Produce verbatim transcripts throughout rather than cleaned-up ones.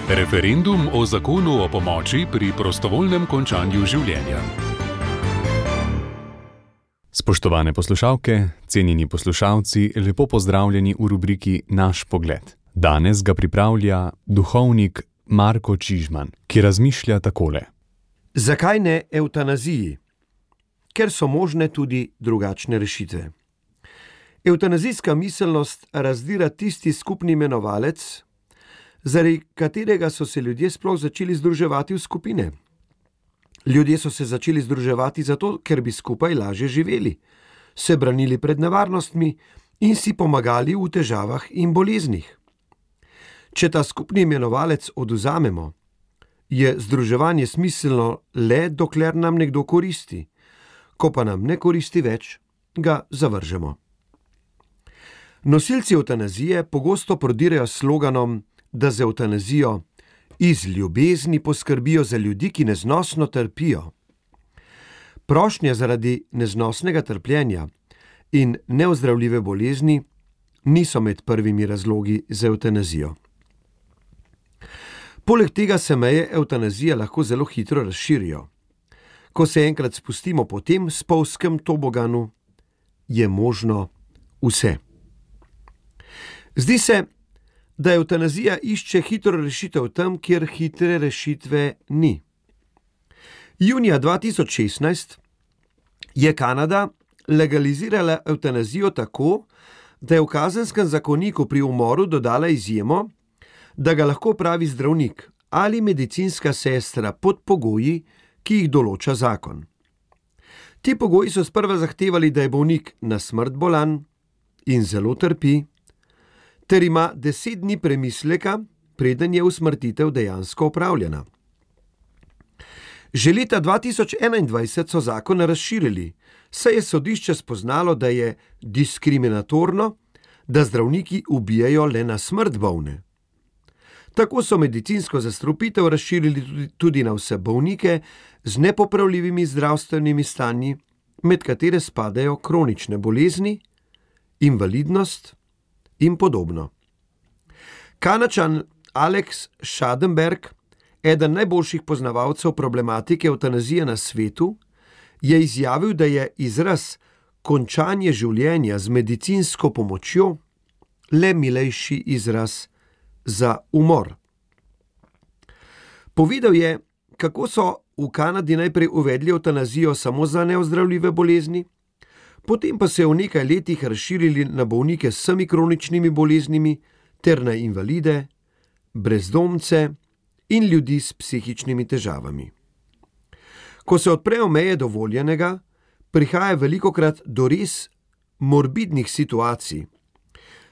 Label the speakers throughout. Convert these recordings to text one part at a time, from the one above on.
Speaker 1: Referendum o zakonu o pomoči pri prostovoljnem končanju življenja. Spoštovane poslušalke, cenjeni poslušalci, lepo pozdravljeni v rubriki Naš pogled. Danes ga pripravlja duhovnik Marko Čižman, ki razmišlja takole.
Speaker 2: Zakaj ne evtanaziji? Ker so možne tudi drugačne rešitve. Evtanazijska miselnost razdira tisti skupni imenovalec, zaradi katerega so se ljudje sploh začeli združevati v skupine. Ljudje so se začeli združevati zato, ker bi skupaj lažje živeli, se branili pred nevarnostmi in si pomagali v težavah in boleznih. Če ta skupni imenovalec odvzamemo, je združevanje smiselno le, dokler nam nekdo koristi. Ko pa nam ne koristi več, ga zavržemo. Nosilci evtanazije pogosto prodirajo s sloganom, da z evtanazijo iz ljubezni poskrbijo za ljudi, ki neznosno trpijo. Prošnje zaradi neznosnega trpljenja in neozdravljive bolezni niso med prvimi razlogi za evtanazijo. Poleg tega se meje evtanazije lahko zelo hitro razširijo. Ko se enkrat spustimo po tem spolzkem toboganu, je možno vse. Zdi se, da evtanazija išče hitro rešitev tam, kjer hitre rešitve ni. Junija dva tisoč šestnajst je Kanada legalizirala evtanazijo tako, da je v kazenskem zakoniku pri umoru dodala izjemo, da ga lahko opravi zdravnik ali medicinska sestra pod pogoji, ki jih določa zakon. Ti pogoji so sprva zahtevali, da je bolnik na smrt bolan in zelo trpi, ter ima deset dni premisleka, preden je usmrtitev dejansko opravljena. Že leta dva tisoč enaindvajset so zakon razširili, saj je sodišče spoznalo, da je diskriminatorno, da zdravniki ubijajo le na smrt bolne. Tako so medicinsko zastrupitev razširili tudi na vse bolnike z nepopravljivimi zdravstvenimi stanji, med katere spadajo kronične bolezni, invalidnost in podobno. Kanadčan Alex Schadenberg, eden najboljših poznavalcev problematike evtanazije na svetu, je izjavil, da je izraz končanje življenja z medicinsko pomočjo le milejši izraz za umor. Povedal je, kako so v Kanadi najprej uvedli evtanazijo samo za neozdravljive bolezni, potem pa se v nekaj letih razširili na bolnike s vsemi kroničnimi boleznimi ter na invalide, brezdomce in ljudi s psihičnimi težavami. Ko se odprejo meje dovoljenega, prihaja velikokrat do res morbidnih situacij.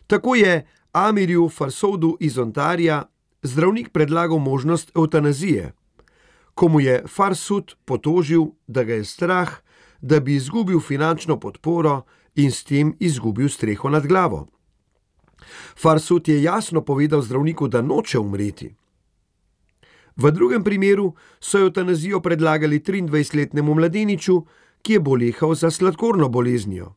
Speaker 2: Tako je Amirju Farsoudu iz Ontarija zdravnik predlagal možnost evtanazije, ko mu je Farsoud potožil, da ga je strah, da bi izgubil finančno podporo in s tem izgubil streho nad glavo. Farsoud je jasno povedal zdravniku, da noče umreti. V drugem primeru so evtanazijo predlagali triindvajsetletnemu mladeniču, ki je bolehal za sladkorno boleznijo.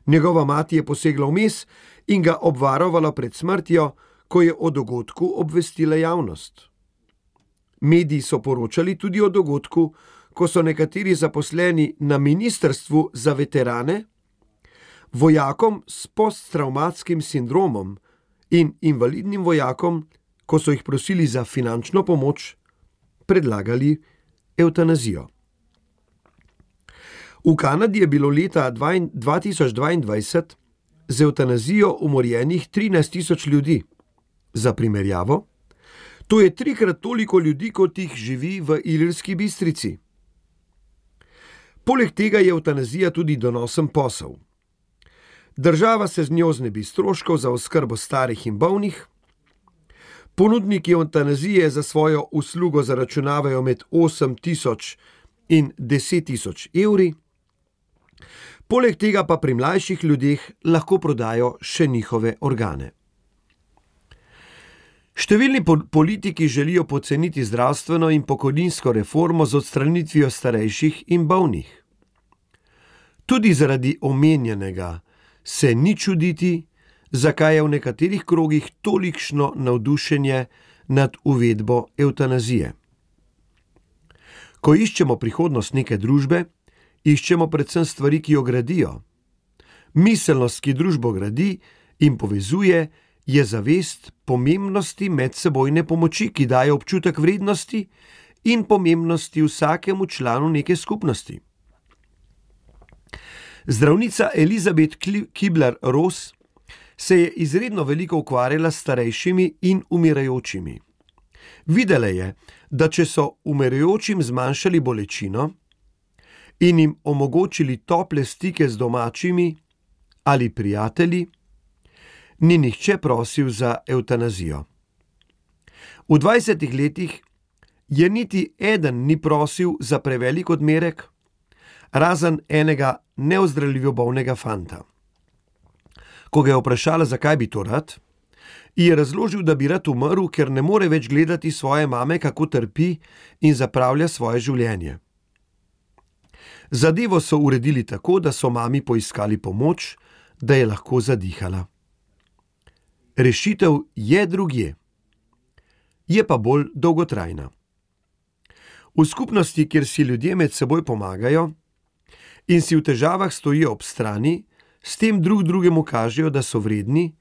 Speaker 2: Njegova mati je posegla vmes in ga obvarovala pred smrtjo, ko je o dogodku obvestila javnost. Mediji so poročali tudi o dogodku, ko so nekateri zaposleni na ministrstvu za veterane vojakom s posttravmatskim sindromom in invalidnim vojakom, ko so jih prosili za finančno pomoč, predlagali evtanazijo. V Kanadi je bilo leta dva tisoč dvaindvajset z evtanazijo umorjenih trinajst tisoč ljudi. Za primerjavo, to je trikrat toliko ljudi, kot jih živi v Ilirski Bistrici. Poleg tega je evtanazija tudi donosen posel. Država se z njo znebi stroškov za oskrbo starih in bolnih, ponudniki evtanazije za svojo uslugo zaračunavajo med osem tisoč in deset tisoč evri, poleg tega pa pri mlajših ljudeh lahko prodajo še njihove organe. Številni politiki želijo poceniti zdravstveno in pokojninsko reformo z odstranitvijo starejših in bolnih. Tudi zaradi omenjenega se ni čuditi, zakaj je v nekaterih krogih tolikšno navdušenje nad uvedbo evtanazije. Ko iščemo prihodnost neke družbe, iščemo predvsem stvari, ki jo gradijo. Miselnost, ki družbo gradi in povezuje, je zavest pomembnosti medsebojne pomoči, ki daje občutek vrednosti in pomembnosti vsakemu članu neke skupnosti. Zdravnica Elizabeth Kubler-Ross se je izredno veliko ukvarjala s starejšimi in umirajočimi. Videla je, da če so umirajočim zmanjšali bolečino in jim omogočili tople stike z domačimi ali prijatelji, ni nihče prosil za evtanazijo. V dvajsetih letih je niti eden ni prosil za prevelik odmerek, razen enega neozdravljivo bolnega fanta. Ko ga je vprašala, zakaj bi to rad, ji je razložil, da bi rad umrl, ker ne more več gledati svoje mame, kako trpi in zapravlja svoje življenje. Zadevo so uredili tako, da so mami poiskali pomoč, da je lahko zadihala. Rešitev je drugje, je pa bolj dolgotrajna. V skupnosti, kjer si ljudje med seboj pomagajo in si v težavah stojijo ob strani, s tem drug drugemu kažejo, da so vredni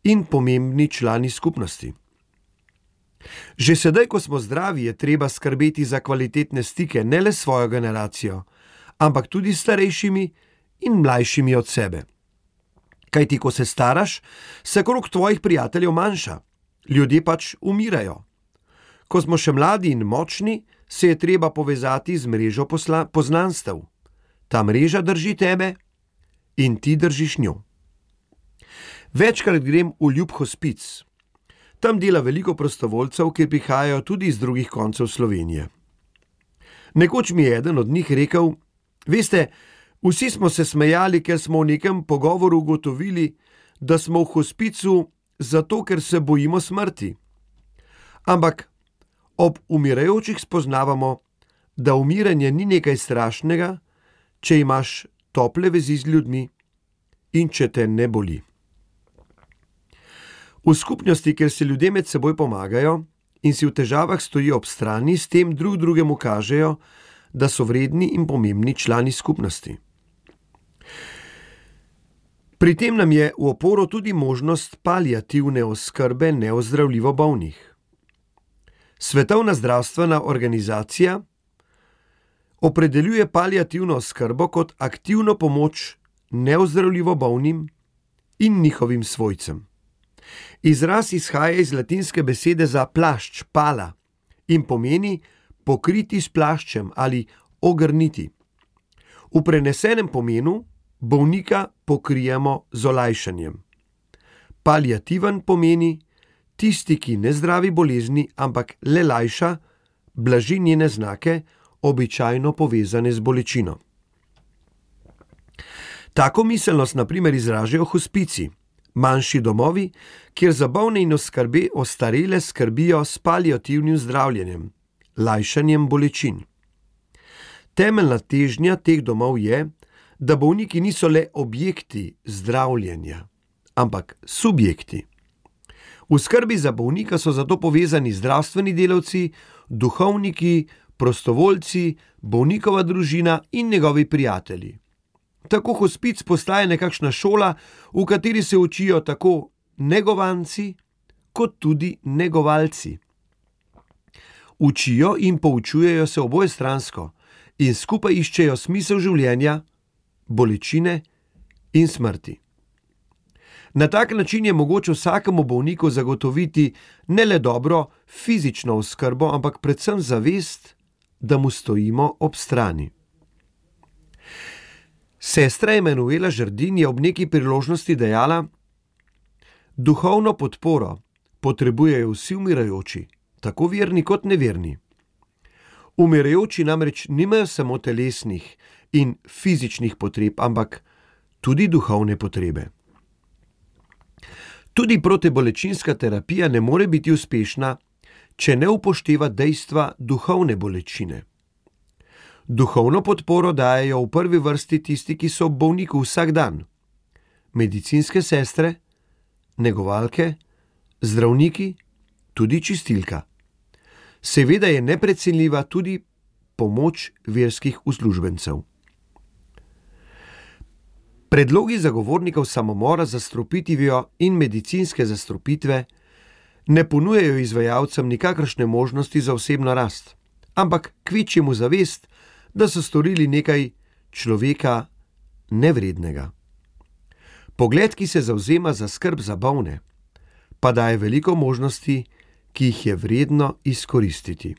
Speaker 2: in pomembni člani skupnosti. Že sedaj, ko smo zdravi, je treba skrbeti za kvalitetne stike ne le s svojo generacijo, ampak tudi s starejšimi in mlajšimi od sebe. Kajti, ko se staraš, se krog tvojih prijateljev manjša. Ljudje pač umirajo. Ko smo še mladi in močni, se je treba povezati z mrežo posla- poznanstev. Ta mreža drži tebe in ti držiš njo. Večkrat grem v Ljub hospic. Tam dela veliko prostovoljcev, ki prihajajo tudi iz drugih koncev Slovenije. Nekoč mi je eden od njih rekel: veste, vsi smo se smejali, ker smo v nekem pogovoru ugotovili, da smo v hospicu zato, ker se bojimo smrti. Ampak ob umirajočih spoznavamo, da umiranje ni nekaj strašnega, če imaš tople vezi z ljudmi in če te ne boli. V skupnosti, kjer se ljudje med seboj pomagajo in si v težavah stojijo ob strani, s tem drug drugemu kažejo, da so vredni in pomembni člani skupnosti. Pri tem nam je v oporo tudi možnost paliativne oskrbe neozdravljivo bolnih. Svetovna zdravstvena organizacija opredeljuje paliativno oskrbo kot aktivno pomoč neozdravljivo bolnim in njihovim svojcem. Izraz izhaja iz latinske besede za plašč, pala, in pomeni pokriti s plaščem ali ogrniti. V prenesenem pomenu bolnika pokrijemo z olajšanjem. Paliativen pomeni tisti, ki ne zdravi bolezni, ampak le lajša, blaži njene znake, običajno povezane z bolečino. Tako miselnost na primer izražajo hospici, manjši domovi, kjer za bolne in oskrbe ostarele skrbijo s paliativnim zdravljenjem, lajšanjem bolečin. Temeljna težnja teh domov je, da bolniki niso le objekti zdravljenja, ampak subjekti. V skrbi za bolnika so zato povezani zdravstveni delavci, duhovniki, prostovoljci, bolnikova družina in njegovi prijatelji. Tako hospic postaje nekakšna šola, v kateri se učijo tako negovanci kot tudi negovalci. Učijo in poučujejo se obojestransko in skupaj iščejo smisel življenja, bolečine in smrti. Na tak način je mogoče vsakemu bolniku zagotoviti ne le dobro fizično oskrbo, ampak predvsem zavest, da mu stojimo ob strani. Sestra Emanuela Žerdin je ob neki priložnosti dejala: duhovno podporo potrebujejo vsi umirajoči, tako verni kot neverni. Umirajoči namreč nimajo samo telesnih in fizičnih potreb, ampak tudi duhovne potrebe. Tudi protibolečinska terapija ne more biti uspešna, če ne upošteva dejstva duhovne bolečine. Duhovno podporo dajejo v prvi vrsti tisti, ki so ob bolniku vsak dan. Medicinske sestre, negovalke, zdravniki, tudi čistilka. Seveda je neprecenljiva tudi pomoč verskih uslužbencev. Predlogi zagovornikov samomora z zastrupitvijo in medicinske zastrupitve ne ponujajo izvajalcem nikakršne možnosti za osebno rast, ampak kvečjemu zavest, da so storili nekaj človeka nevrednega. Pogled, ki se zavzema za skrb za bolne, pa daje veliko možnosti, ki jih je vredno izkoristiti.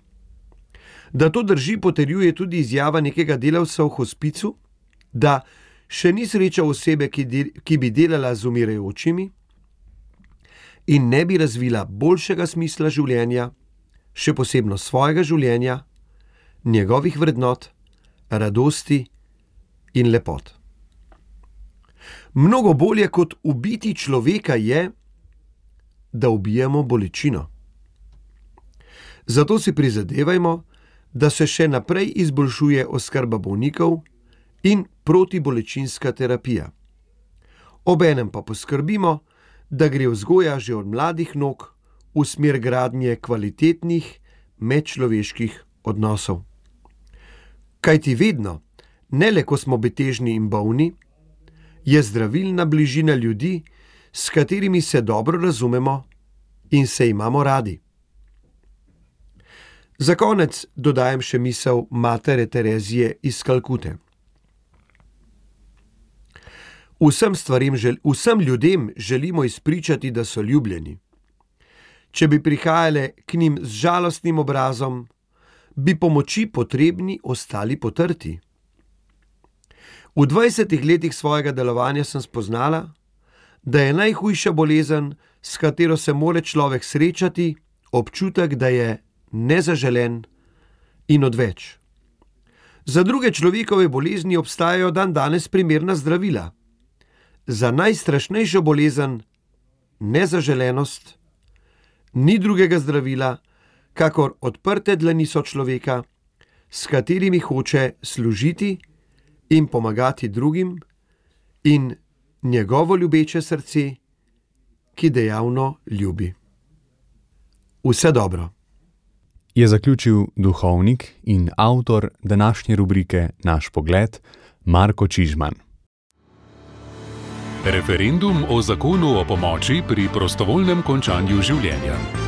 Speaker 2: Da to drži, potrjuje tudi izjava nekega delavca v hospicu, da še ni srečal osebe, ki, del, ki bi delala z umirajočimi in ne bi razvila boljšega smisla življenja, še posebno svojega življenja, njegovih vrednot, radosti in lepot. Mnogo bolje kot ubiti človeka je, da ubijemo bolečino. Zato si prizadevajmo, da se še naprej izboljšuje oskrba bolnikov in protibolečinska terapija. Obenem pa poskrbimo, da gre vzgoja že od mladih nog v smer gradnje kvalitetnih medčloveških odnosov. Kajti vedno, ne le ko smo betežni in bolni, je zdravilna bližina ljudi, s katerimi se dobro razumemo in se imamo radi. Za konec dodajam še misel matere Terezije iz Kalkute. Vsem stvarim, vsem ljudem želimo izpričati, da so ljubljeni. Če bi prihajale k njim z žalostnim obrazom, bi pomoči potrebni ostali potrti. V dvajsetih letih svojega delovanja sem spoznala, da je najhujša bolezen, s katero se more človek srečati, občutek, da je nezaželen in odveč. Za druge človekove bolezni obstajajo dandanes primerna zdravila. Za najstrašnejšo bolezen, nezaželenost, ni drugega zdravila, kakor odprte dlani sočloveka, s katerimi hoče služiti in pomagati drugim, in njegovo ljubeče srce, ki dejavno ljubi. Vse dobro.
Speaker 1: Je zaključil duhovnik in avtor današnje rubrike Naš pogled, Marko Čižman.
Speaker 3: Referendum o zakonu o pomoči pri prostovoljnem končanju življenja.